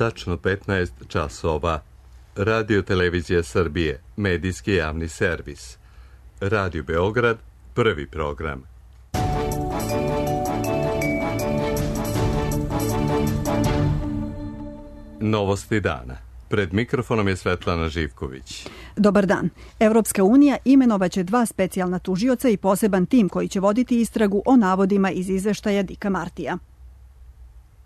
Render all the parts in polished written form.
tačno 15 časova. Radio Televizija Srbije, medijski javni servis. Radio Beograd, prvi program. Novosti dana. Pred mikrofonom je Svetlana Živković. Dobar dan. Evropska unija imenovaće 2 specijalna tužioca i poseban tim koji će voditi istragu o navodima iz izveštaja Dicka Martija.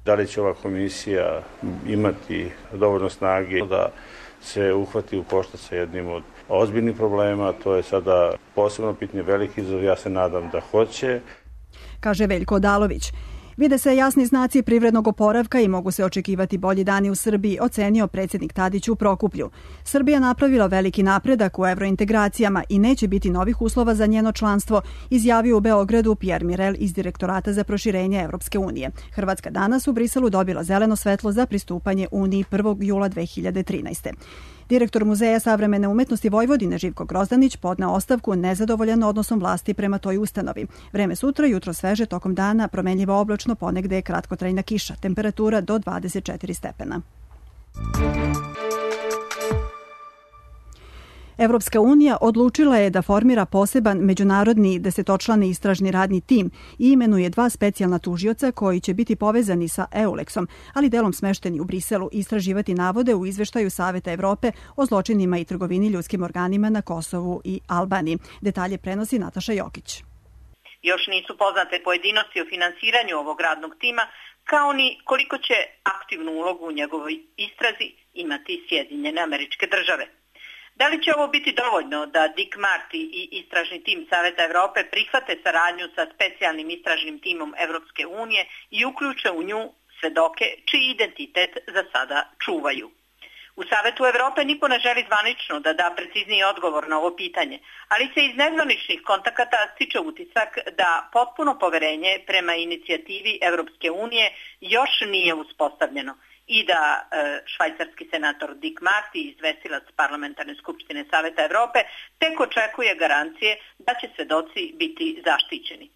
Da li će ova komisija imati dovoljno snage da se uhvati u koštac sa jednim od ozbiljnih problema? To je sada posebno pitanje, veliki izazov, ja se nadam da hoće. Kaže Veljko Odalović. Vide se jasni znaci privrednog oporavka i mogu se očekivati bolji dani u Srbiji, ocenio predsjednik Tadić u Prokuplju. Srbija napravila veliki napredak u evrointegracijama i neće biti novih uslova za njeno članstvo, izjavio u Beogradu Pierre Mirel iz Direktorata za proširenje Evropske unije. Hrvatska danas u Briselu dobila zeleno svetlo za pristupanje Uniji 1. jula 2013. Direktor Muzeja savremene umetnosti Vojvodine Živko Grozdanić podneo ostavku nezadovoljan odnosom vlasti prema toj ustanovi. Vreme sutra, jutro sveže, tokom dana promenljivo oblačno, ponegde je kratkotrajna kiša. Temperatura do 24 stepena. Evropska unija odlučila je da formira poseban međunarodni 10-člani istražni radni tim i imenuje 2 specijalna tužioca koji će biti povezani sa EULEX-om, ali delom smešteni u Briselu, istraživati navode u izveštaju Saveta Evrope o zločinima i trgovini ljudskim organima na Kosovu i Albaniji. Detalje prenosi Nataša Jokić. Još nisu poznate pojedinosti o finansiranju ovog radnog tima, kao ni koliko će aktivnu ulogu u njegovoj istrazi imati Sjedinjene Američke Države. Da li će ovo biti dovoljno da Dick Marty i istražni tim Saveta Evrope prihvate saradnju sa specijalnim istražnim timom Evropske unije i uključe u nju svedoke čiji identitet za sada čuvaju? U Savetu Evrope niko ne želi zvanično da da precizniji odgovor na ovo pitanje, ali se iz nezvaničnih kontakata stiče utisak da potpuno poverenje prema inicijativi Evropske unije još nije uspostavljeno i da švajcarski senator Dick Marty, izvestilac Parlamentarne skupštine Saveta Evrope, tek očekuje garancije da će svedoci biti zaštićeni.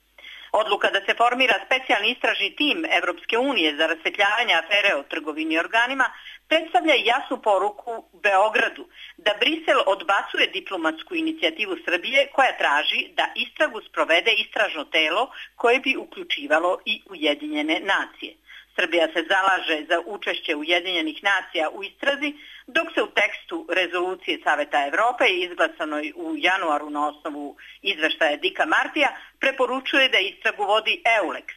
Odluka da se formira specijalni istražni tim Evropske unije za rasvetljavanje afere o trgovini organima predstavlja jasnu poruku Beogradu da Brisel odbacuje diplomatsku inicijativu Srbije koja traži da istragu sprovede istražno telo koje bi uključivalo i Ujedinjene nacije. Srbija se zalaže za učešće Ujedinjenih nacija u istrazi, dok se u tekstu rezolucije Saveta Evrope izglasanoj u januaru na osnovu izveštaja Dicka Martija preporučuje da istragu vodi EULEX,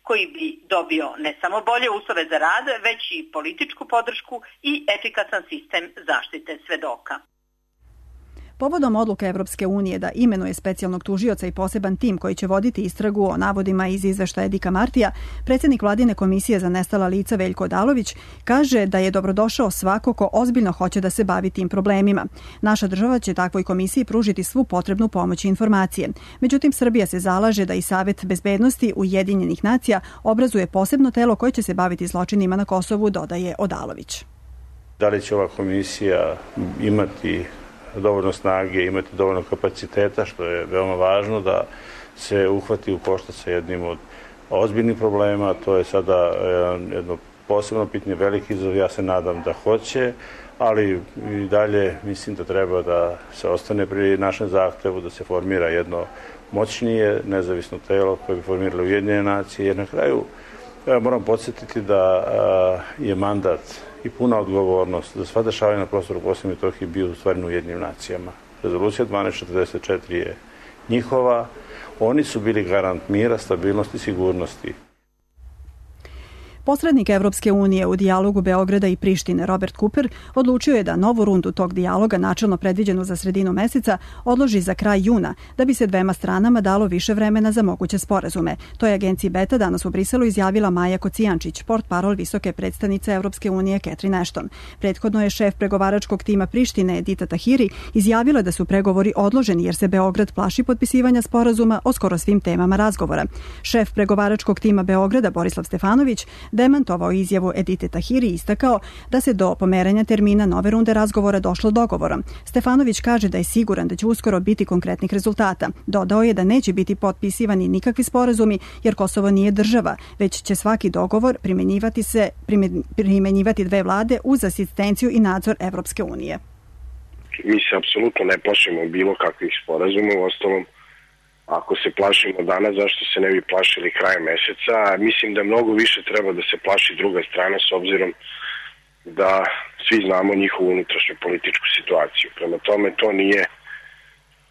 koji bi dobio ne samo bolje uslove za rad, već i političku podršku i efikasan sistem zaštite svedoka. Povodom odluke Evropske unije da imenuje specijalnog tužioca i poseban tim koji će voditi istragu o navodima iz izveštaja Dicka Martija, predsjednik Vladine komisije za nestala lica Veljko Odalović kaže da je dobrodošao svako ko ozbiljno hoće da se bavi tim problemima. Naša država će takvoj komisiji pružiti svu potrebnu pomoć i informacije. Međutim, Srbija se zalaže da i Savet bezbednosti Ujedinjenih nacija obrazuje posebno telo koje će se baviti zločinima na Kosovu, dodaje Odalović. Da li će ova komisija imati dovoljno snage, imati dovoljno kapaciteta, što je veoma važno, da se uhvati u koštac sa jednim od ozbiljnih problema. To je sada jedno posebno pitanje, veliki izazov, ja se nadam da hoće, ali i dalje mislim da treba da se ostane pri našem zahtevu, da se formira jedno moćnije, nezavisno telo koje bi formiralo Ujedinjene nacije, jer na kraju moram podsjetiti da je mandat i puna odgovornost za sva dešavanja na prostoru Bosne i Metohije bio u stvari u Ujedinjenim nacijama. Rezolucija 1244 je njihova. Oni su bili garant mira, stabilnosti i sigurnosti. Posrednik Evropske unije u dijalogu Beograda i Prištine Robert Cooper odlučio je da novu rundu tog dijaloga, načelno predviđenu za sredinu meseca, odloži za kraj juna, da bi se dvema stranama dalo više vremena za moguće sporazume. To je agenciji Beta danas u Briselu izjavila Maja Kocijančić, portparol visoke predstavnice Evropske unije Catherine Ashton. Prethodno je šef pregovaračkog tima Prištine Edita Tahiri izjavila da su pregovori odloženi jer se Beograd plaši potpisivanja sporazuma o skoro svim temama razgovora. Šef pregovaračkog tima Beograda Borislav Stefanović demantovao izjavu Edite Tahiri i istakao da se do pomeranja termina nove runde razgovora došlo dogovorom. Stefanović kaže da je siguran da će uskoro biti konkretnih rezultata. Dodao je da neće biti potpisivani nikakvi sporazumi jer Kosovo nije država, već će svaki dogovor primenjivati dve vlade uz asistenciju i nadzor Evropske unije. Mi se apsolutno ne plašimo bilo kakvih sporazuma, u ostalom ako se plašimo danas, zašto se ne bi plašili krajem meseca? Mislim da mnogo više treba da se plaši druga strana s obzirom da svi znamo njihovu unutrašnju političku situaciju. Prema tome to nije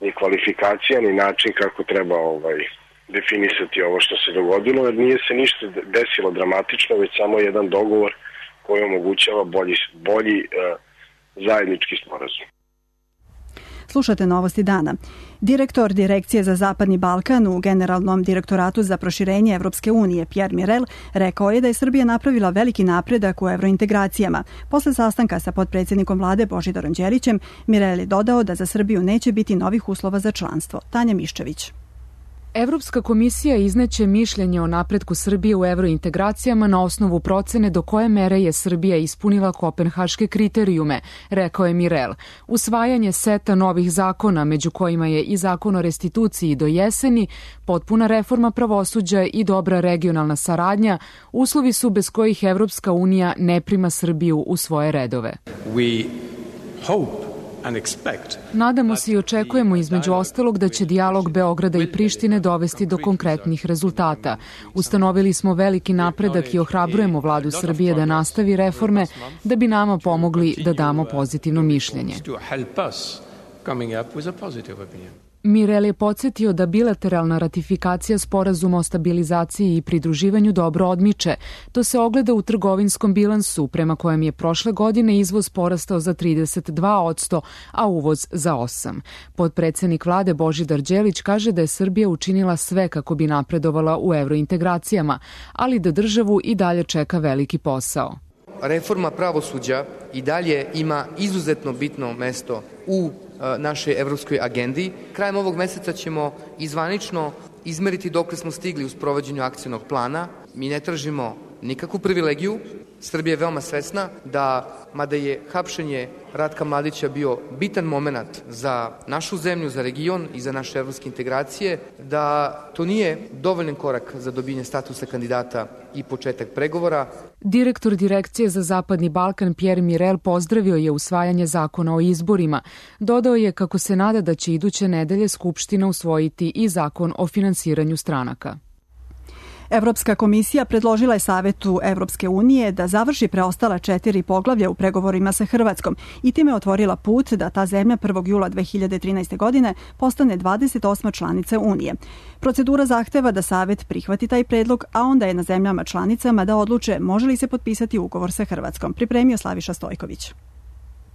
ni kvalifikacija, ni način kako treba definisati ovo što se dogodilo, jer nije se ništa desilo dramatično, već samo jedan dogovor koji omogućava bolji zajednički sporazum. Slušate Novosti dana. Direktor Direkcije za Zapadni Balkan u Generalnom direktoratu za proširenje Evropske unije Pierre Mirel rekao je da je Srbija napravila veliki napredak u evrointegracijama. Posle sastanka sa potpredsjednikom vlade Božidarom Đelićem, Mirel je dodao da za Srbiju neće biti novih uslova za članstvo. Tanja Miščević. Evropska komisija izneće mišljenje o napretku Srbije u evrointegracijama na osnovu procene do koje mere je Srbija ispunila kopenhaške kriterijume, rekao je Mirel. Usvajanje seta novih zakona, među kojima je i zakon o restituciji do jeseni, potpuna reforma pravosuđa i dobra regionalna saradnja, uslovi su bez kojih Evropska unija ne prima Srbiju u svoje redove. Nadamo se i očekujemo između ostalog da će dijalog Beograda i Prištine dovesti do konkretnih rezultata. Ustanovili smo veliki napredak i ohrabrujemo vladu Srbije da nastavi reforme da bi nama pomogli da damo pozitivno mišljenje. Mirel je podsjetio da bilateralna ratifikacija sporazuma o stabilizaciji i pridruživanju dobro odmiče. To se ogleda u trgovinskom bilansu, prema kojem je prošle godine izvoz porastao za 32%, a uvoz za 8%. Potpredsednik vlade Božidar Đelić kaže da je Srbija učinila sve kako bi napredovala u evrointegracijama, ali da državu i dalje čeka veliki posao. Reforma pravosuđa i dalje ima izuzetno bitno mesto u našoj evropskoj agendi. Krajem ovog meseca ćemo izvanično izmeriti dokle smo stigli u sprovođenju akcionog plana. Mi ne tražimo nikakvu privilegiju. Srbija je veoma svesna da, mada je hapšenje Ratka Mladića bio bitan moment za našu zemlju, za region i za naše evropske integracije, da to nije dovoljan korak za dobijanje statusa kandidata i početak pregovora. Direktor Direkcije za Zapadni Balkan Pierre Mirel pozdravio je usvajanje zakona o izborima. Dodao je kako se nada da će iduće nedelje Skupština usvojiti i zakon o finansiranju stranaka. Evropska komisija predložila je Savetu Evropske unije da završi preostala 4 poglavlja u pregovorima sa Hrvatskom i time otvorila put da ta zemlja 1. jula 2013. godine postane 28. članica Unije. Procedura zahteva da Savet prihvati taj predlog, a onda je na zemljama članicama da odluče može li se potpisati ugovor sa Hrvatskom. Pripremio Slaviša Stojković.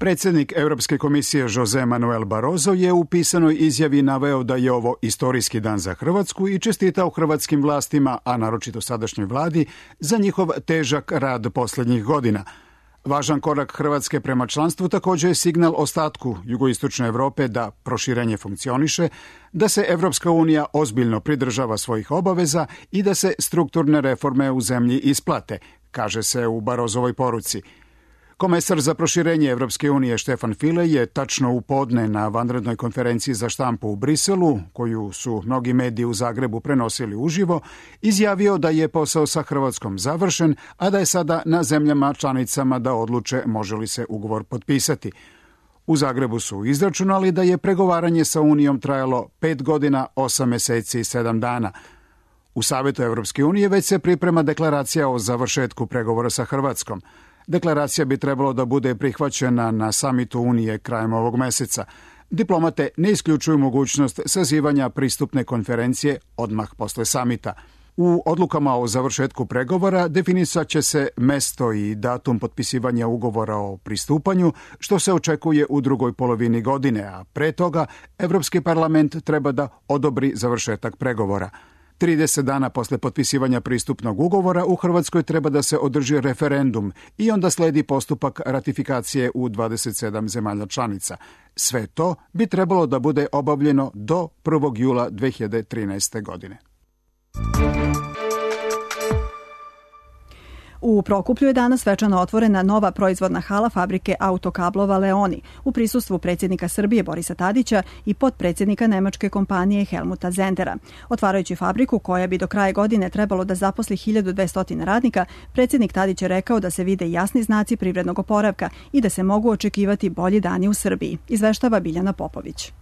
Predsjednik Europske komisije Jose Manuel Barroso je u pisanoj izjavi naveo da je ovo istorijski dan za Hrvatsku i čestitao hrvatskim vlastima, a naročito sadašnjoj vladi, za njihov težak rad posljednjih godina. Važan korak Hrvatske prema članstvu također je signal ostatku jugoistočne Europe da proširenje funkcioniše, da se Evropska unija ozbiljno pridržava svojih obaveza i da se strukturne reforme u zemlji isplate, kaže se u Barrosovoj poruci. Komesar za proširenje Evropske unije Štefan File je tačno u podne na vanrednoj konferenciji za štampu u Briselu, koju su mnogi mediji u Zagrebu prenosili uživo, izjavio da je posao sa Hrvatskom završen, a da je sada na zemljama članicama da odluče može li se ugovor potpisati. U Zagrebu su izračunali da je pregovaranje sa Unijom trajalo 5 godina, 8 meseci i 7 dana. U Savetu Evropske unije već se priprema deklaracija o završetku pregovora sa Hrvatskom. Deklaracija bi trebalo da bude prihvaćena na samitu Unije krajem ovog meseca. Diplomate ne isključuju mogućnost sazivanja pristupne konferencije odmah posle samita. U odlukama o završetku pregovora definisat će se mesto i datum potpisivanja ugovora o pristupanju, što se očekuje u drugoj polovini godine, a pre toga Evropski parlament treba da odobri završetak pregovora. 30 dana posle potpisivanja pristupnog ugovora u Hrvatskoj treba da se održi referendum i onda sledi postupak ratifikacije u 27 zemalja članica. Sve to bi trebalo da bude obavljeno do 1. jula 2013. godine. U Prokuplju je danas svečano otvorena nova proizvodna hala fabrike autokablova Leoni u prisustvu predsjednika Srbije Borisa Tadića i potpredsjednika nemačke kompanije Helmuta Zendera. Otvarajući fabriku koja bi do kraja godine trebalo da zaposli 1200 radnika, predsjednik Tadić je rekao da se vide jasni znaci privrednog oporavka i da se mogu očekivati bolji dani u Srbiji, izveštava Biljana Popović.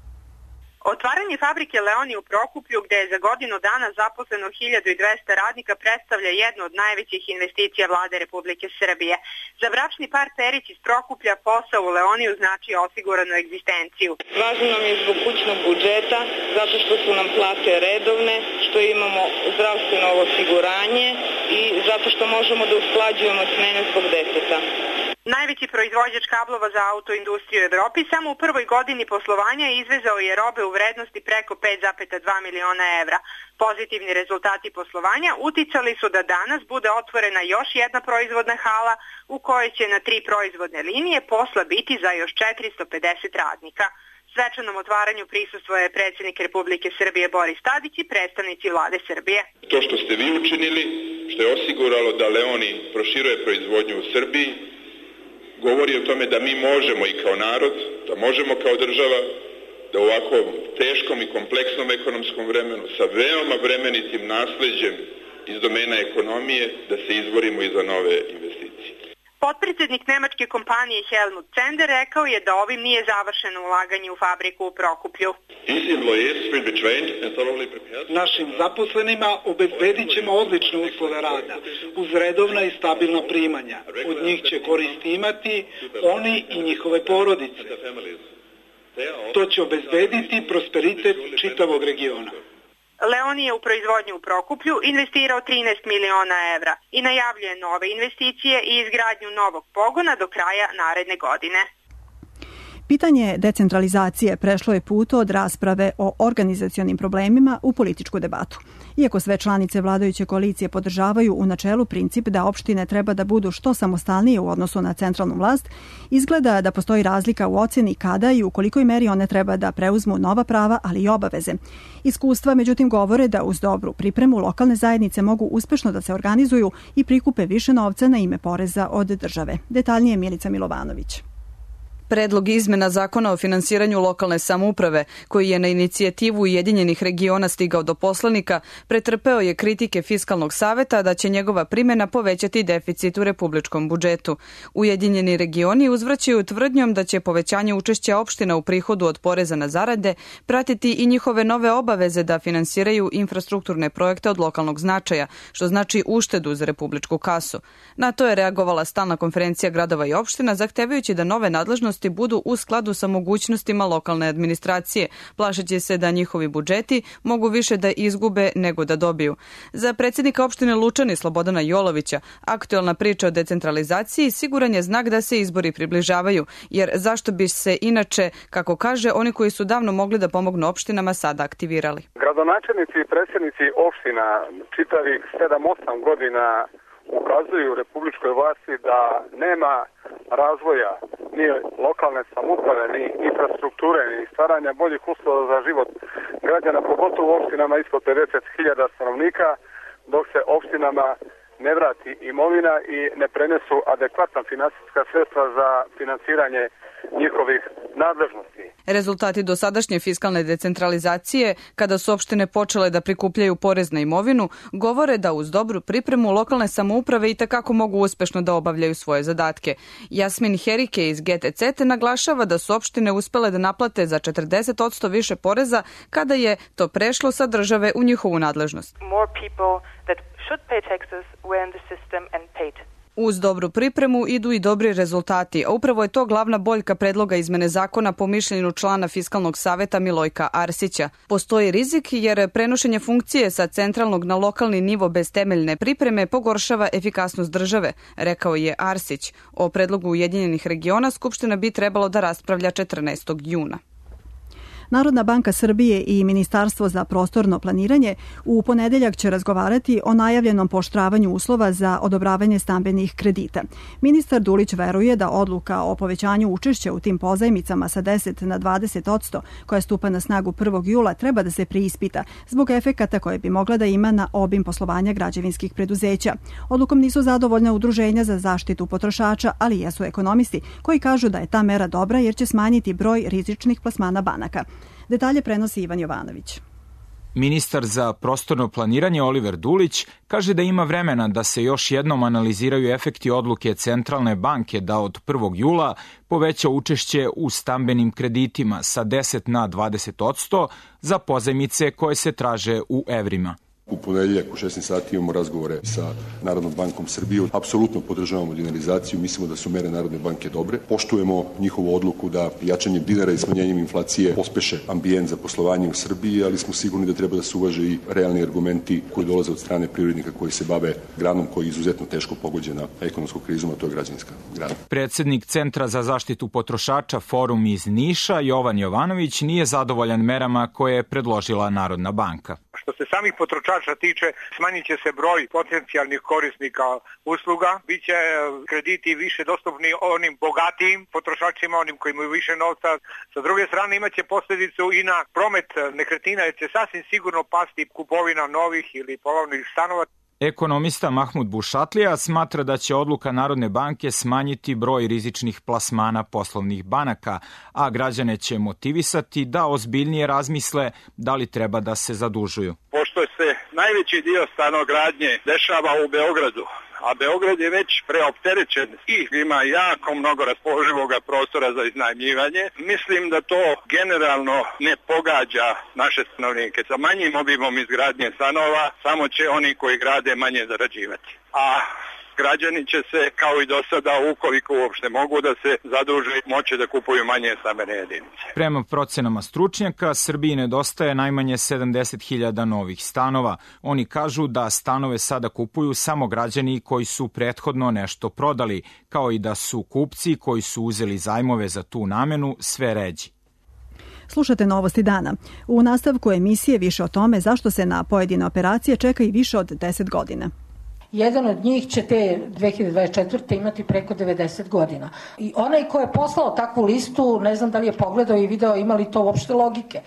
Otvaranje fabrike Leoni u Prokuplju, gde je za godinu dana zaposleno 1200 radnika, predstavlja jednu od najvećih investicija vlade Republike Srbije. Za bračni par Perić iz Prokuplja posao u Leoniju znači osiguranu egzistenciju. Važno nam je zbog kućnog budžeta, zato što su nam plate redovne, što imamo zdravstveno osiguranje i zato što možemo da usklađujemo smene zbog deteta. Najveći proizvođač kablova za autoindustriju u Evropi samo u prvoj godini poslovanja izvezao je robe u vrednosti preko 5,2 miliona evra. Pozitivni rezultati poslovanja uticali su da danas bude otvorena još jedna proizvodna hala u kojoj će na 3 proizvodne linije posla biti za još 450 radnika. Svečanom otvaranju prisustvovao je predsjednik Republike Srbije Boris Tadić i predstavnici vlade Srbije. To što ste vi učinili, što je osiguralo da Leoni proširuje proizvodnju u Srbiji, govori o tome da mi možemo i kao narod, da možemo kao država, da u ovako teškom i kompleksnom ekonomskom vremenu sa veoma vremenitim nasleđem iz domena ekonomije da se izborimo i za nove investicije. Potpredsjednik nemačke kompanije Helmut Zender rekao je da ovim nije završeno ulaganje u fabriku u Prokuplju. Našim zaposlenima obezbedit ćemo odlične uslove rada, uz redovna i stabilna primanja. Od njih će koristi imati oni i njihove porodice. To će obezbediti prosperitet čitavog regiona. Leoni je u proizvodnju u Prokuplju investirao 13 miliona evra i najavljuje nove investicije i izgradnju novog pogona do kraja naredne godine. Pitanje decentralizacije prešlo je put od rasprave o organizacionim problemima u političku debatu. Iako sve članice vladajuće koalicije podržavaju u načelu princip da opštine treba da budu što samostalnije u odnosu na centralnu vlast, izgleda da postoji razlika u ocjeni kada i u kolikoj meri one treba da preuzmu nova prava, ali i obaveze. Iskustva, međutim, govore da uz dobru pripremu lokalne zajednice mogu uspešno da se organizuju i prikupe više novca na ime poreza od države. Detaljnije Milica Milovanović. Predlog izmena zakona o finansiranju lokalne samouprave, koji je na inicijativu Ujedinjenih regiona stigao do poslanika, pretrpeo je kritike Fiskalnog saveta da će njegova primjena povećati deficit u republičkom budžetu. Ujedinjeni regioni uzvraćaju tvrdnjom da će povećanje učešća opština u prihodu od poreza na zarade pratiti i njihove nove obaveze da finansiraju infrastrukturne projekte od lokalnog značaja, što znači uštedu za republičku kasu. Na to je reagovala stalna konferencija gradova i opština, zahtevajući da nove nadležnosti budu u skladu sa mogućnostima lokalne administracije, plašeći se da njihovi budžeti mogu više da izgube nego da dobiju. Za predsjednika opštine Lučani Slobodana Jolovića, aktuelna priča o decentralizaciji siguran je znak da se izbori približavaju, jer zašto bi se inače, kako kaže, oni koji su davno mogli da pomognu opštinama sada aktivirali. Gradonačelnici i predsjednici opština čitavih 7-8 godina ukazuju republičkoj vlasti da nema razvoja ni lokalne samouprave, ni infrastrukture, ni stvaranja boljih uslova za život građana, pogotovo u opštinama ispod 50.000 stanovnika, dok se opštinama ne vrati imovina i ne prenesu adekvatna finansijska sredstva za finansiranje njihovih nadležnosti. Rezultati dosadašnje fiskalne decentralizacije, kada su opštine počele da prikupljaju porez na imovinu, govore da uz dobru pripremu lokalne samouprave itekako mogu uspešno da obavljaju svoje zadatke. Jasmin Herike iz GTC naglašava da su opštine uspele da naplate za 40% više poreza kada je to prešlo sa države u njihovu nadležnost. Uz dobru pripremu idu i dobri rezultati, a upravo je to glavna boljka predloga izmene zakona po mišljenju člana Fiskalnog saveta Milojka Arsića. Postoji rizik jer prenošenje funkcije sa centralnog na lokalni nivo bez temeljne pripreme pogoršava efikasnost države, rekao je Arsić. O predlogu Ujedinjenih regiona Skupština bi trebalo da raspravlja 14. juna. Narodna banka Srbije i Ministarstvo za prostorno planiranje u ponedeljak će razgovarati o najavljenom pooštravanju uslova za odobravanje stambenih kredita. Ministar Dulić veruje da odluka o povećanju učešća u tim pozajmicama sa 10 na 20%, koja stupa na snagu 1. jula, treba da se preispita zbog efekata koje bi mogla da ima na obim poslovanja građevinskih preduzeća. Odlukom nisu zadovoljna udruženja za zaštitu potrošača, ali jesu ekonomisti koji kažu da je ta mera dobra jer će smanjiti broj rizičnih plasmana banaka. Detalje prenosi Ivan Jovanović. Ministar za prostorno planiranje Oliver Dulić kaže da ima vremena da se još jednom analiziraju efekti odluke Centralne banke da od 1. jula poveća učešće u stambenim kreditima sa 10 na 20% za pozajmice koje se traže u evrima. U ponedeljak u 16 sati imamo razgovore sa Narodnom bankom Srbije. Apsolutno podržavamo dinarizaciju, mislimo da su mere Narodne banke dobre. Poštujemo njihovu odluku da jačanjem dinara i smanjenjem inflacije pospeše ambijent za poslovanje u Srbiji, ali smo sigurni da treba da se uvaže i realni argumenti koji dolaze od strane privrednika koji se bave granom koja je izuzetno teško pogođena ekonomskom krizom, a to je građevinska grana. Predsednik Centra za zaštitu potrošača Forum iz Niša, Jovan Jovanović, nije zadovoljan merama koje je predložila Narodna banka. Što se samih potrošača tiče, smanjit će se broj potencijalnih korisnika usluga, bit će krediti više dostupni onim bogatijim potrošačima, onim koji imaju više novca. Sa druge strane imaće posljedicu i na promet nekretnina, jer će sasvim sigurno pasti kupovina novih ili polovnih stanova. Ekonomista Mahmud Bušatlija smatra da će odluka Narodne banke smanjiti broj rizičnih plasmana poslovnih banaka, a građane će motivisati da ozbiljnije razmisle da li treba da se zadužuju. Pošto se najveći dio stanogradnje dešava u Beogradu, a Beograd je već preopterećen i ima jako mnogo raspoloživog prostora za iznajmljivanje. Mislim da to generalno ne pogađa naše stanovnike. Sa manjim obimom izgradnje stanova samo će oni koji grade manje zarađivati. A građani će se, kao i do sada, ukoliko uopšte mogu da se zaduže, moći da kupuju manje stambene jedinice. Prema procenama stručnjaka, Srbiji nedostaje najmanje 70.000 novih stanova. Oni kažu da stanove sada kupuju samo građani koji su prethodno nešto prodali, kao i da su kupci koji su uzeli zajmove za tu namenu sve ređi. Slušate Novosti dana. U nastavku emisije više o tome zašto se na pojedine operacije čeka i više od 10 godina. Jedan od njih će te 2024. imati preko 90 godina. I onaj ko je poslao takvu listu, ne znam da li je pogledao i video ima li to uopšte logike.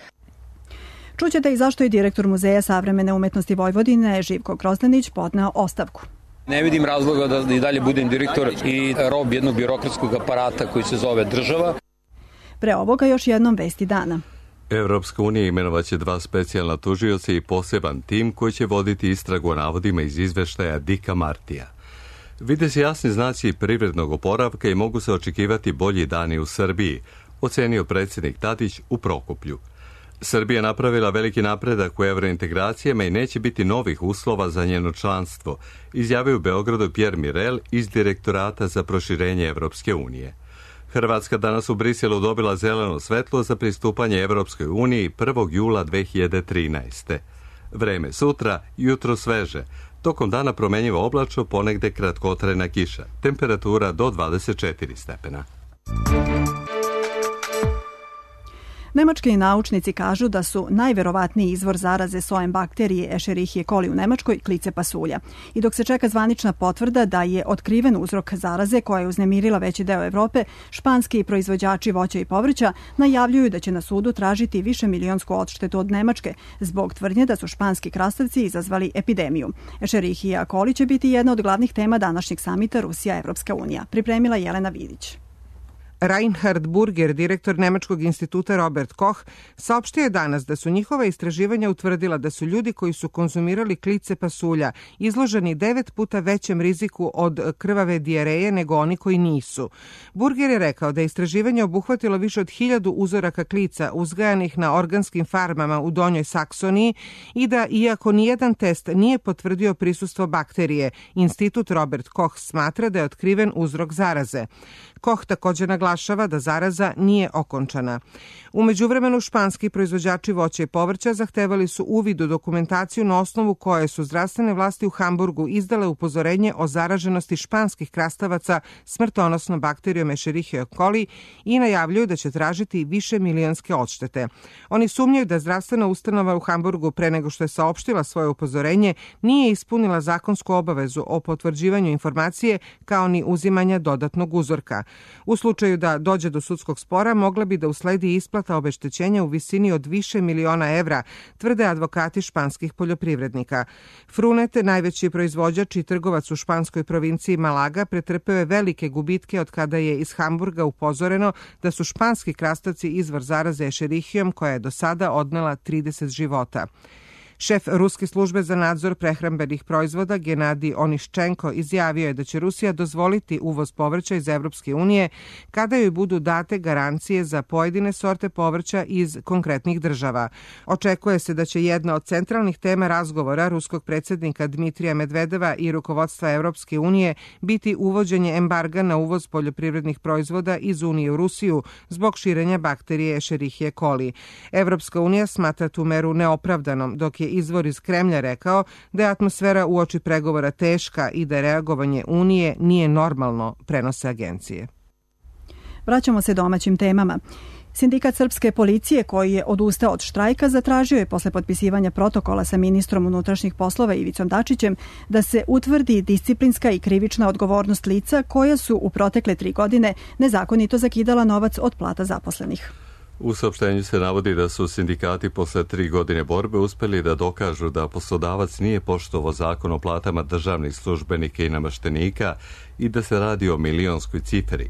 Čućete i zašto je direktor Muzeja savremene umetnosti Vojvodine Živko Grozdanić podneo ostavku. Ne vidim razloga da i dalje budem direktor i rob jednog birokratskog aparata koji se zove država. Pre ovoga još jednom vesti dana. Evropska unija imenovaće 2 specijalna tužioca i poseban tim koji će voditi istragu o navodima iz izveštaja Dika Martija. Vide se jasni znaci privrednog oporavka i mogu se očekivati bolji dani u Srbiji, ocenio predsjednik Tadić u Prokuplju. Srbija napravila veliki napredak u evrointegracijama i neće biti novih uslova za njeno članstvo, izjavio u Beogradu Pierre Mirel iz Direktorata za proširenje Evropske unije. Hrvatska danas u Briselu dobila zeleno svetlo za pristupanje Evropskoj uniji 1. jula 2013. Vreme sutra, jutro sveže. Tokom dana promenjivo oblačno, ponegde kratkotrajna kiša. Temperatura do 24 stepena. Nemački naučnici kažu da su najverovatniji izvor zaraze sojem bakterije Escherichia coli u Nemačkoj klice pasulja. I dok se čeka zvanična potvrda da je otkriven uzrok zaraze koja je uznemirila veći deo Evrope, španski proizvođači voća i povrća najavljuju da će na sudu tražiti višemilionsku odštetu od Nemačke zbog tvrdnje da su španski krastavci izazvali epidemiju. Escherichia coli će biti jedna od glavnih tema današnjeg samita Rusija-Evropska unija. Pripremila Jelena Vidić. Reinhard Burger, direktor Nemačkog instituta Robert Koch, saopštio je danas da su njihova istraživanja utvrdila da su ljudi koji su konzumirali klice pasulja izloženi 9 puta većem riziku od krvave dijareje nego oni koji nisu. Burger je rekao da je istraživanje obuhvatilo više od 1000 uzoraka klica uzgajanih na organskim farmama u Donjoj Saksoniji i da, iako nijedan test nije potvrdio prisustvo bakterije, institut Robert Koch smatra da je otkriven uzrok zaraze. Koch također naglasio naglašava da zaraza nije okončana. U međuvremenu španski proizvođači voća i povrća zahtevali su uvid u dokumentaciju na osnovu koje su zdravstvene vlasti u Hamburgu izdale upozorenje o zaraženosti španskih krastavaca smrtonosnom bakterijom Escherichia coli i najavljuju da će tražiti više milionske odštete. Oni sumnjaju da zdravstvena ustanova u Hamburgu pre nego što je saopštila svoje upozorenje nije ispunila zakonsku obavezu o potvrđivanju informacije kao ni uzimanja dodatnog uzorka. U slučaju da dođe do sudskog spora mogla bi da usledi isplata obeštećenja u visini od više miliona evra, tvrde advokati španskih poljoprivrednika. Frunet, najveći proizvođač i trgovac u španskoj provinciji Malaga, pretrpeo je velike gubitke od kada je iz Hamburga upozoreno da su španski krastavci izvor zaraze Escherichiom koja je do sada odnela 30 života. Šef Ruske službe za nadzor prehrambenih proizvoda Genadij Oniščenko izjavio je da će Rusija dozvoliti uvoz povrća iz Evropske unije kada joj budu date garancije za pojedine sorte povrća iz konkretnih država. Očekuje se da će jedna od centralnih tema razgovora ruskog predsjednika Dmitrija Medvedeva i rukovodstva Evropske unije biti uvođenje embarga na uvoz poljoprivrednih proizvoda iz Unije u Rusiju zbog širenja bakterije Escherichia coli. Evropska unija smatra tu meru neopravdanom, dok je izvor iz Kremlja rekao da je atmosfera uoči pregovora teška i da reagovanje Unije nije normalno, prenose agencije. Vraćamo se domaćim temama. Sindikat srpske policije, koji je odustao od štrajka, zatražio je posle potpisivanja protokola sa ministrom unutrašnjih poslova Ivicom Dačićem da se utvrdi disciplinska i krivična odgovornost lica koja su u protekle 3 godine nezakonito zakidala novac od plata zaposlenih. U saopštenju se navodi da su sindikati posle 3 godine borbe uspeli da dokažu da poslodavac nije poštovao zakon o platama državnih službenika i nameštenika i da se radi o milionskoj cifri.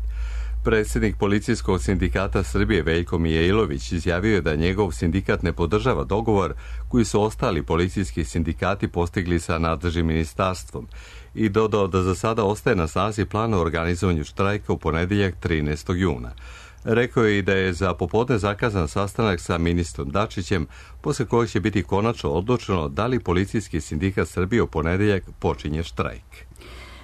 Predsjednik Policijskog sindikata Srbije Veljko Mijailović izjavio je da njegov sindikat ne podržava dogovor koji su ostali policijski sindikati postigli sa nadležnim ministarstvom i dodao da za sada ostaje na snazi plan o organizovanju štrajka u ponedeljak 13. juna. Rekao je i da je za popodne zakazan sastanak sa ministrom Dačićem, posle kojeg će biti konačno odlučeno da li Policijski sindikat Srbije u ponedeljak počinje štrajk.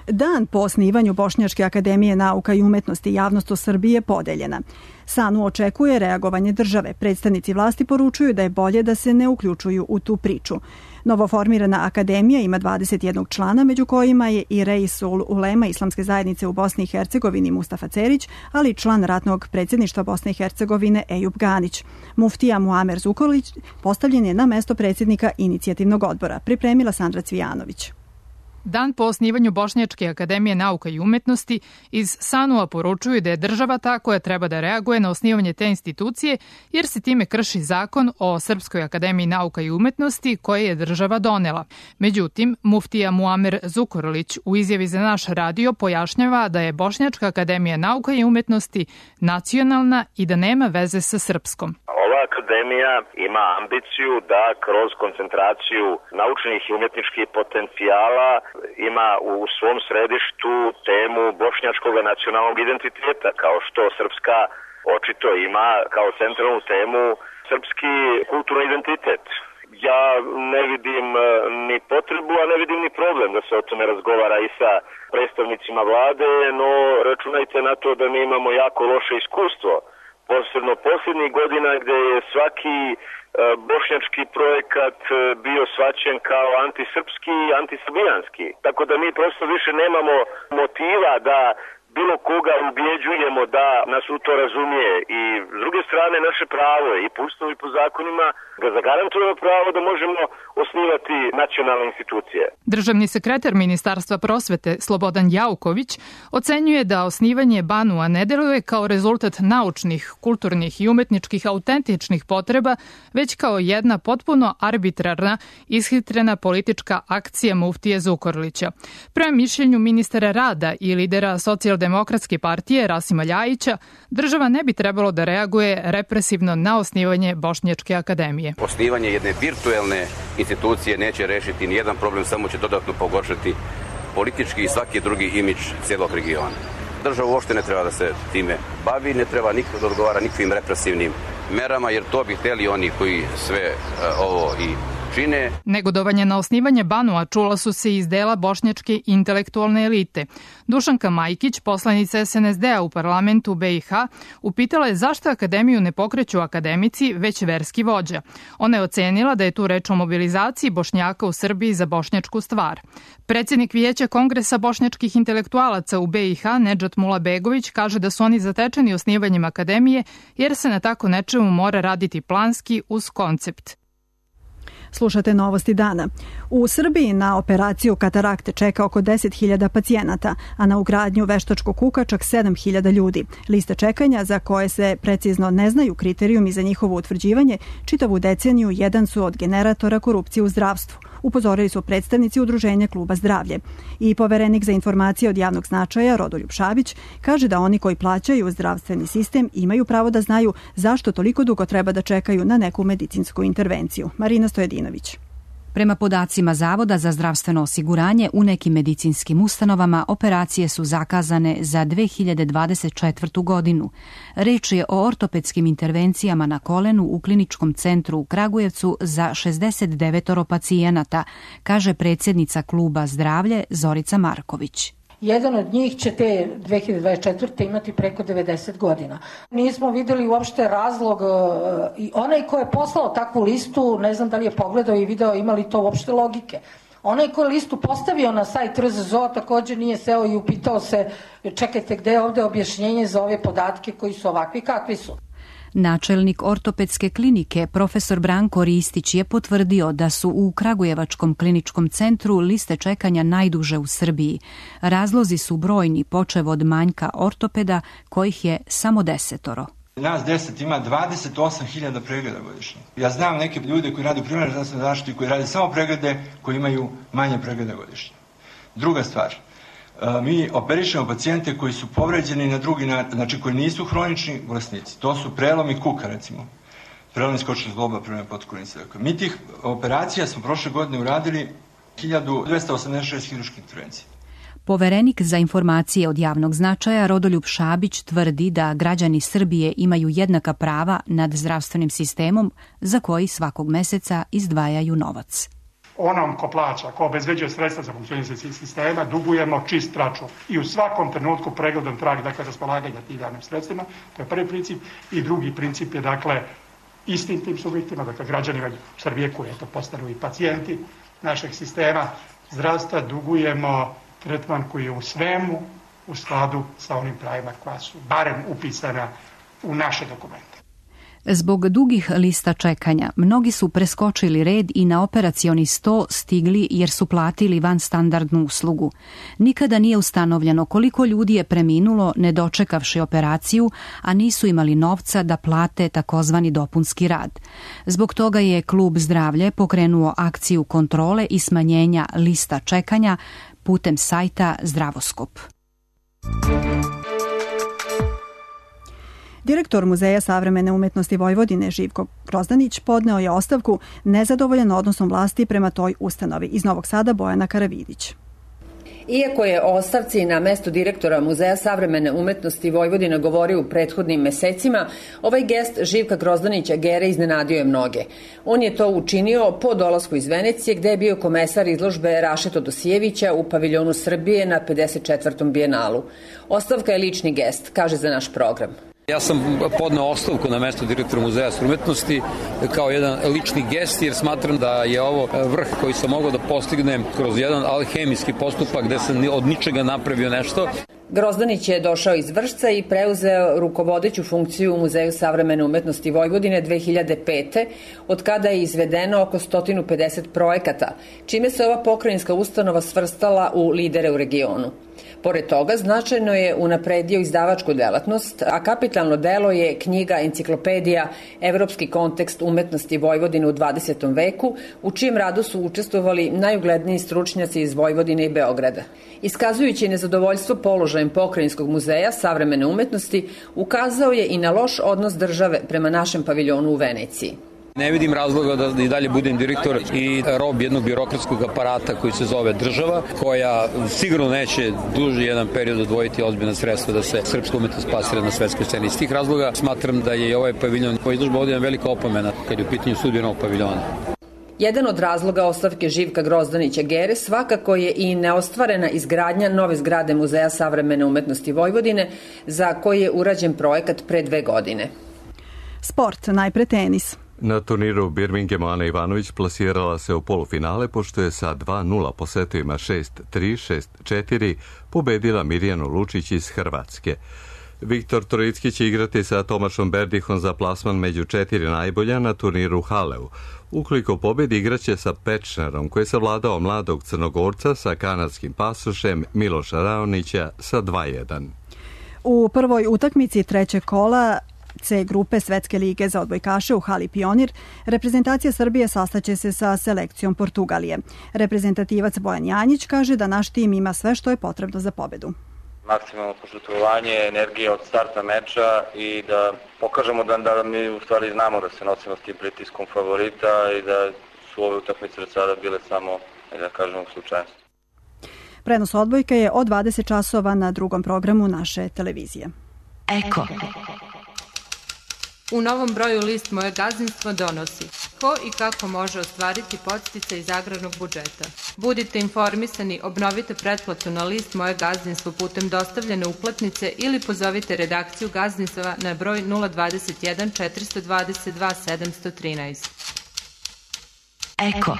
Dan po osnivanju Bošnjačke akademije nauka i umetnosti javnost u Srbiji je podeljena. SANU očekuje reagovanje države. Predstavnici vlasti poručuju da je bolje da se ne uključuju u tu priču. Novoformirana akademija ima 21 člana, među kojima je i Reisul Ulema Islamske zajednice u Bosni i Hercegovini Mustafa Cerić, ali i član ratnog predsjedništva Bosne i Hercegovine Ejub Ganić. Muftija Muamer Zukorlić postavljen je na mesto predsjednika inicijativnog odbora. Pripremila Sandra Cvijanović. Dan po osnivanju Bošnjačke akademije nauka i umetnosti iz SANU-a poručuju da je država ta koja treba da reaguje na osnivanje te institucije, jer se time krši zakon o Srpskoj akademiji nauka i umetnosti koje je država donela. Međutim, muftija Muamer Zukorlić u izjavi za naš radio pojašnjava da je Bošnjačka akademija nauka i umetnosti nacionalna i da nema veze sa srpskom. Ova akademija ima ambiciju da kroz koncentraciju naučnih i umjetničkih potencijala ima u svom središtu temu bošnjačkog nacionalnog identiteta, kao što Srpska očito ima kao centralnu temu srpski kulturni identitet. Ja ne vidim ni potrebu, a ne vidim ni problem da se o tome razgovara i sa predstavnicima vlade, no računajte na to da mi imamo jako loše iskustvo, posebno posljednjih godina gdje je svaki bošnjački projekat bio shvaćen kao antisrpski i antisrbijanski. Tako da mi prosto više nemamo motiva da bilo koga ubjeđujemo da nas u to razumije. I s druge strane naše pravo i po ustavu i po zakonima ga zagarantujemo pravo da možemo osnivati nacionalne institucije. Državni sekretar Ministarstva prosvete Slobodan Jauković ocenjuje da osnivanje BANU-a ne deluje kao rezultat naučnih, kulturnih i umetničkih autentičnih potreba, već kao jedna potpuno arbitrarna, ishitrena politička akcija muftije Zukorlića. Prema mišljenju ministara rada i lidera Socijaldemokratske partije Rasima Ljajića, država ne bi trebalo da reaguje represivno na osnivanje Bošnjačke akademije. Osnivanje jedne virtuelne institucije neće rešiti nijedan problem, samo će dodatno pogoršati politički i svaki drugi imidž cijelog regiona. Država uopšte ne treba da se time bavi, ne treba nikad da odgovara nikakvim represivnim merama, jer to bi hteli oni koji sve ovo i čine. Negodovanje na osnivanje Banua čula su se iz dela bošnjačke intelektualne elite. Dušanka Majkić, poslanica SNSD-a u parlamentu BiH, upitala je zašto akademiju ne pokreću akademici, već verski vođa. Ona je ocenila da je tu reč o mobilizaciji Bošnjaka u Srbiji za bošnjačku stvar. Predsjednik Vijeća Kongresa bošnjačkih intelektualaca u BiH, Nedžat Mulabegović, kaže da su oni zatečeni osnivanjem akademije jer se na tako nečemu mora raditi planski uz koncept. Slušate Novosti dana. U Srbiji na operaciju katarakte čeka oko 10.000 pacijenata, a na ugradnju veštačkog kuka čak 7.000 ljudi. Lista čekanja, za koje se precizno ne znaju kriterijumi za njihovo utvrđivanje, čitavu deceniju jedan su od generatora korupcije u zdravstvu. Upozorili su predstavnici Udruženja Kluba Zdravlje. I poverenik za informacije od javnog značaja Rodoljub Šabić kaže da oni koji plaćaju zdravstveni sistem imaju pravo da znaju zašto toliko dugo treba da čekaju na neku medicinsku intervenciju. Marina Stojedinović. Prema podacima Zavoda za zdravstveno osiguranje, u nekim medicinskim ustanovama operacije su zakazane za 2024. godinu. Reč je o ortopedskim intervencijama na kolenu u kliničkom centru u Kragujevcu za 69 pacijenata, kaže predsjednica Kluba Zdravlje Zorica Marković. Jedan od njih će te 2024. imati preko 90 godina. Nismo videli uopšte razlog i onaj ko je poslao takvu listu, ne znam da li je pogledao i video ima li to uopšte logike. Onaj ko je listu postavio na sajt RZZO također nije seo i upitao se čekajte gde je ovde objašnjenje za ove podatke koji su ovakvi kakvi su. Načelnik ortopedske klinike, profesor Branko Ristić, je potvrdio da su u Kragujevačkom kliničkom centru liste čekanja najduže u Srbiji. Razlozi su brojni, počev od manjka ortopeda, kojih je samo 10. Nas 10 ima 28.000 pregleda godišnje. Ja znam neke ljude koji rade u primarnoj zdravstvenoj zaštiti koji rade samo preglede koji imaju manje pregleda godišnje. Druga stvar, mi operišemo pacijente koji su povređeni na drugi način, znači koji nisu hronični bolesnici. To su prelomi kuka, recimo. Prelomi skočnog zgloba, prelomi potkornice. Mi tih operacija smo prošle godine uradili 1286 hirurških intervencija. Poverenik za informacije od javnog značaja Rodoljub Šabić tvrdi da građani Srbije imaju jednaka prava nad zdravstvenim sistemom za koji svakog meseca izdvajaju novac. Onom ko plaća, ko obezbeđuje sredstva za funkcionisanje sistema, dugujemo čist račun. I u svakom trenutku pregledom trag, dakle, raspolaganja tim javnim sredstvima, to je prvi princip. I drugi princip je, dakle, istim tim subjektima, dakle, građanima Srbije koji to postanu i pacijenti našeg sistema zdravstva, dugujemo tretman koji je u svemu u skladu sa onim pravima koja su barem upisana u naše dokumente. Zbog dugih lista čekanja, mnogi su preskočili red i na operacioni sto stigli jer su platili vanstandardnu uslugu. Nikada nije ustanovljeno koliko ljudi je preminulo ne dočekavši operaciju, a nisu imali novca da plate takozvani dopunski rad. Zbog toga je Klub Zdravlje pokrenuo akciju kontrole i smanjenja lista čekanja putem sajta Zdravoskop. Direktor Muzeja savremene umetnosti Vojvodine Živko Grozdanić podneo je ostavku nezadovoljan odnosom vlasti prema toj ustanovi. Iz Novog Sada Bojana Karavidić. Iako je o ostavci na mesto direktora Muzeja savremene umetnosti Vojvodine govorio u prethodnim mesecima, ovaj gest Živka Grozdanića Gere iznenadio je mnoge. On je to učinio po dolasku iz Venecije, gde je bio komesar izložbe Rašeto Dosijevića u paviljonu Srbije na 54. bijenalu. Ostavka je lični gest, kaže za naš program. Ja sam podneo ostavku na mesto direktora Muzeja umetnosti kao jedan lični gest, jer smatram da je ovo vrh koji sam mogao da postignem kroz jedan alhemijski postupak gde sam od ničega napravio nešto. Grozdanić je došao iz Vršca i preuzeo rukovodeću funkciju u Muzeju savremene umetnosti Vojvodine 2005. od kada je izvedeno oko 150 projekata, čime se ova pokrajinska ustanova svrstala u lidere u regionu. Pored toga, značajno je unapredio izdavačku delatnost, a kapitalno delo je knjiga Enciklopedija Evropski kontekst umetnosti Vojvodine u 20. veku, u čijem radu su učestvovali najugledniji stručnjaci iz Vojvodine i Beograda. Iskazujući nezadovoljstvo položajem Pokrajinskog muzeja savremene umetnosti, ukazao je i na loš odnos države prema našem paviljonu u Veneciji. Ne vidim razloga da i dalje budem direktor i rob jednog birokratskog aparata koji se zove država, koja sigurno neće duži jedan period odvojiti ozbiljna sredstva da se srpska umetnost plasira na svetskoj sceni. Iz tih razloga smatram da je ovaj paviljon, ova izložba ovdje velika opomena kad je u pitanju sudbina ovog paviljona. Jedan od razloga ostavke Živka Grozdanića Gere svakako je i neostvarena izgradnja nove zgrade Muzeja savremene umetnosti Vojvodine, za koji je urađen projekat pre 2 godine. Sport, najpre tenis. Na turniru u Birminghamu Ana Ivanović plasirala se u polufinale, pošto je sa 2-0 po setovima 6-3, 6-4 pobedila Mirjanu Lučić iz Hrvatske. Viktor Trojicki će igrati sa Tomašom Berdihom za plasman među 4 najbolja na turniru Haleu. Ukoliko pobedi, igraće sa Pečnerom, koji je savladao mladog Crnogorca sa kanadskim pasošem Miloša Raonića sa 2-1. U prvoj utakmici trećeg kola C grupe Svetske lige za odbojkaše u hali Pionir, reprezentacija Srbije sastaće se sa selekcijom Portugalije. Reprezentativac Bojan Janjić kaže da naš tim ima sve što je potrebno za pobedu. Maksimalno požrtvovanje, energija od starta meča i da pokažemo da mi u stvari znamo da se nosimo s tim pritiskom favorita i da su ove utakmice od sada bile samo, da kažemo, slučajnost. Prenos odbojke je od 20 časova na drugom programu naše televizije. Eko. U novom broju list Moje gazdinstvo donosi ko i kako može ostvariti podsticaj iz agrarnog budžeta. Budite informisani, obnovite pretplatu na list Moje gazdinstvo putem dostavljene uplatnice ili pozovite redakciju gazdinstva na broj 021 422 713. Eko.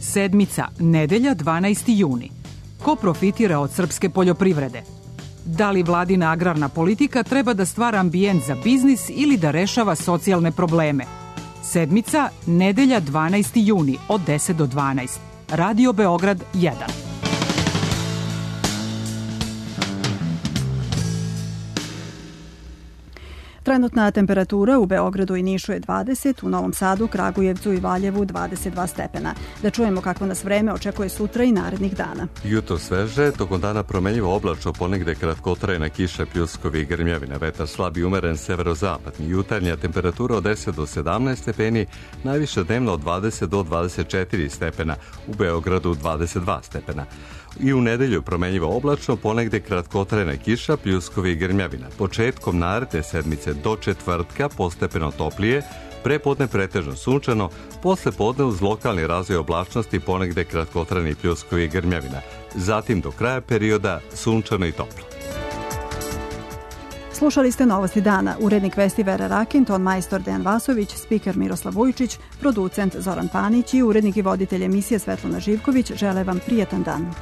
Sedmica, nedelja 12. juni. Ko profitira od srpske poljoprivrede? Da li vladina agrarna politika treba da stvara ambijent za biznis ili da rešava socijalne probleme? Sedmica, nedelja 12. juni od 10 do 12. Radio Beograd 1. Trenutna temperatura u Beogradu i Nišu je 20, u Novom Sadu, Kragujevcu i Valjevu 22 stepena. Da čujemo kako nas vreme očekuje sutra i narednih dana. Jutro sveže, tokom dana promenljivo oblačno, ponegde kratkotrajna kiša, pljuskovi i grmljavina, vetar slab i umeren severozapadni. Jutarnja temperatura od 10 do 17 stepeni, najviše dnevno od 20 do 24 stepena, u Beogradu 22 stepena. I u nedelju promenljivo oblačno, ponegde kratkotrajna kiša, pljuskovi i grmljavina. Početkom naredne sedmice do četvrtka postepeno toplije, prepodne pretežno sunčano, posle podne uz lokalni razvoj oblačnosti ponegde kratkotrajni pljuskovi i grmljavina. Zatim do kraja perioda sunčano i toplo. Slušali ste Novosti dana. Urednik vesti Vera Rakin, ton majstor Dejan Vasović, spiker Miroslav Vujčić, producent Zoran Panić i urednik i voditelj emisije Svetlana Živković žele vam prijetan dan.